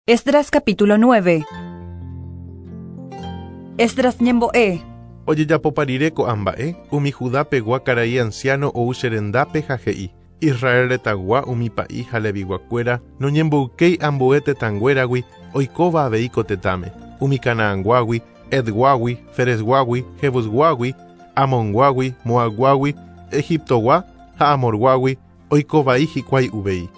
Esdras capítulo 9. Esdras ñembo'e. Ojejapopa rire ko'ã mba'e, umi Judá-pegua karai ansiáno ou che rendápe ha he'i, Israel retãgua umi pa'i ha Leviguakuéra noñemboykéi ambue tetãnguéragui oikóva avei ko tetãme, umi Canaanguágui, Hetguágui, Ferezguágui, Jebusguágui, Amonguágui, Moabguágui, Egiptogua ha Amorguágui, oiko vai hikuái uvei.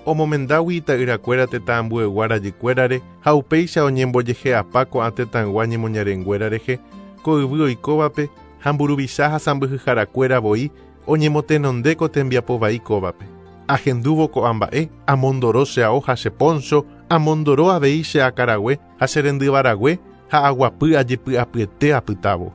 Omomendágui ita'yrakuéra tetã ambuegua rajykuérare ha upéicha oñembojehe'apa ko'ã tetãygua ñemoñarenguéra rehe, ko yvy oikóvape ha mburuvicha ha sãmbyhyharakuéra voi oñemotenonde ko tembiapo vai kóvape. Ahendúvo ko'ã mba'e, amondoro che ao ha che póncho, amondoro avei che akãrague ha che rendyvarague ha aguapy ajepy'apyete apytávo.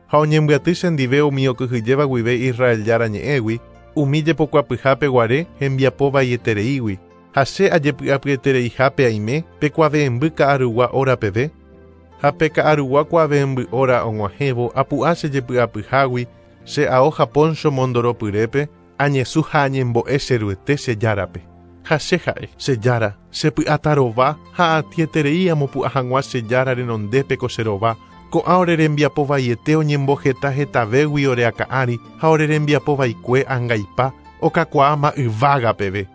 Ha oñembyaty chendive umi okyhyjéva guive Israel Jára ñe'ẽgui, umi jepokuapyhápe guare hembiapo vaietereígui, ha che ajepy'apyetereihápe aime pe kuave'ẽmby ka'arugua óra peve. Ha pe ka'arugua kuave'ẽmby óra og̃uahẽvo apu'ã che jepy'apyhágui, che ao ha póncho mondoro pyrépe, añesũ ha añembo'e che Ruete che Járape. Ha che ha'e, Che Jára, che py'atarova ha atĩeterei amopu'ã hag̃ua che Jára renondépe ko che rova, Ko'ã ore rembiapo vaiete oñemboheta hetavégui ore akã ári ha ore rembiapo vaikue angaipa okakuaáma yvága peve.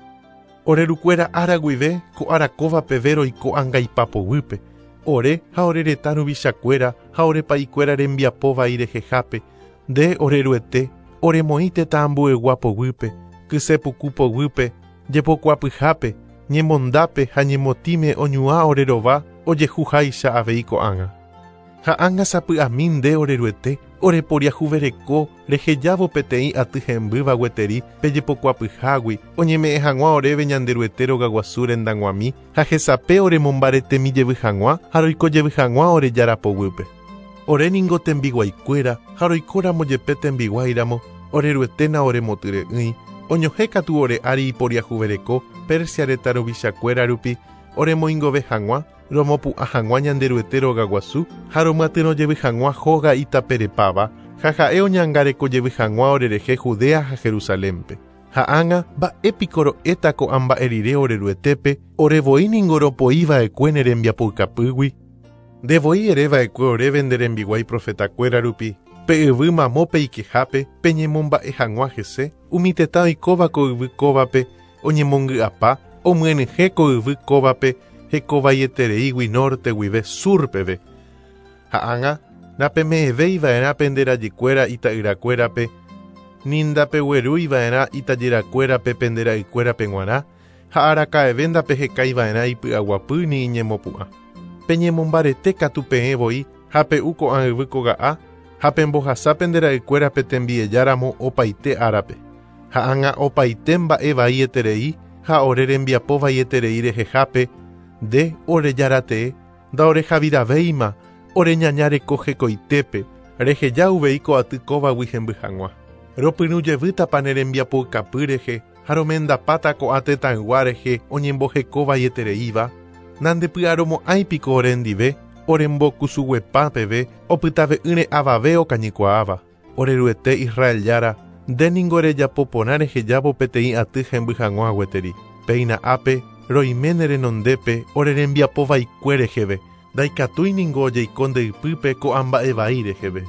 Ore rukuéra ára guive ko ára kóva peve roiko angaipa poguýpe, ore ha ore retã ruvichakuéra ha ore pa'ikuéra rembiapo vai rehehápe, nde, ore Ruete, oremoĩ tetã ambuegua poguýpe, kyse puku poguýpe, jepokuapyhápe, ñemondápe ha ñemotĩme oñuã ore rova ojehu háicha avei ko'ág̃a. Ha ág̃a sapy'ami nde, ore Ruete, ore poriahuvereko rehejávo peteĩ aty hembýva gueteri pe jepokuapyhágui oñeme'ẽ hag̃ua oréve Ñanderuete rogaguasu rendag̃uami ha hesape oremombaretemi jevy hag̃ua ha roiko jevy hag̃ua ore Jára poguýpe. Ore ningo tembiguaikuéra ha roikóramo jepe tembiguáiramo, ore Ruete naoremotyre'ỹi, oñohẽ katu ore ári iporiahuvereko Persia retã ruvichakuéra rupi oremoingove hag̃ua, romopu'ã hag̃ua Ñanderuete rogaguasu ha romyatyrõ jevy hag̃ua hóga itaperepáva, ha ha'e oñangareko jevy hag̃ua orerehe Judea ha Jerusalénpe. Ha ág̃a, mba'e piko ro'éta ko'ã mba'e rire ore Ruetépe, ore voi ningo ropoi va'ekue ne rembiapoukapýgui? Nde voi ere va'ekue oréve nde rembiguái profetakuéra rupi, pe yvy mamo peikehápe peñemomba'e hag̃ua hese, umi tetã oikóva ko yvy kóvape oñemongy'apa, omyenyhẽ ko yvy kóvape hekovaietereígui nórte guive sur peve. Ha ág̃a, napeme'ẽvéi va'erã pende rajykuéra ita'yrakuérape, ni ndapeguerúi va'erã itajyrakuérape pende ra'ykuérape g̃uarã, ha araka'eve ndapehekái va'erã ipy'aguapy ni iñemopu'ã. Peñemombarete katu peẽ voi ha pe'u ko'ã yvy koga'a ha pembohasa pende ra'ykuérape tembieja ramo opaite árape. Ha ág̃a opaite mba'e vai eterei ha ore rembiapo vaieterei rehehápe, nde, ore Jára tee, ndaorehaviravéima ore ñaña reko hekoitépe, reheja uvei ko aty kóvagui hemby hag̃ua. Ropyrũ jevýtapa ne rembiapoukapy rehe ha romendapáta ko'ã tetãygua rehe oñemboheko vaietereíva? Nandepy'aromo'ãi piko orendive orembokusuguepa peve opytave'ỹre avave okañykuaáva? Ore Ruete Israel Jára, nde ningo rejapo porã rehejávo peteĩ aty hemby hag̃ua gueteri. Péina ápe, roime ne renondépe ore rembiapo vaikue reheve, ndaikatúi ningo ojeiko nde ypýpe ko'ã mba'e vai reheve.